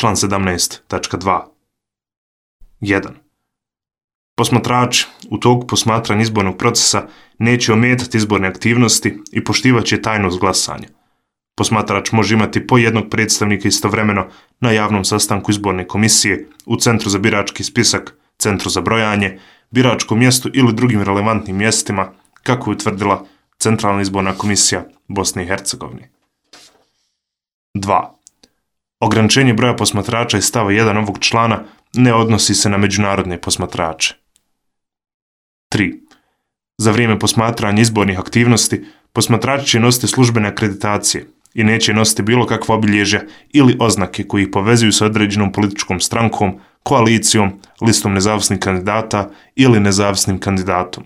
Član 17.2. 1. Posmatrači u toku posmatranja izbornog procesa neće ometati izborne aktivnosti i poštivat će tajnost glasanja. Posmatrač može imati po jednog predstavnika istovremeno na javnom sastanku izborne komisije, u centru za birački spisak, centru za brojanje, biračkom mjestu ili drugim relevantnim mjestima, kako je utvrdila Centralna izborna komisija Bosne i Hercegovine. 2. Ograničenje broja posmatrača iz stava 1 ovog člana ne odnosi se na međunarodne posmatrače. 3. Za vrijeme posmatranja izbornih aktivnosti, posmatrači će nositi službene akreditacije i neće nositi bilo kakva obilježja ili oznake koji ih povezuju sa određenom političkom strankom, koalicijom, listom nezavisnih kandidata ili nezavisnim kandidatom.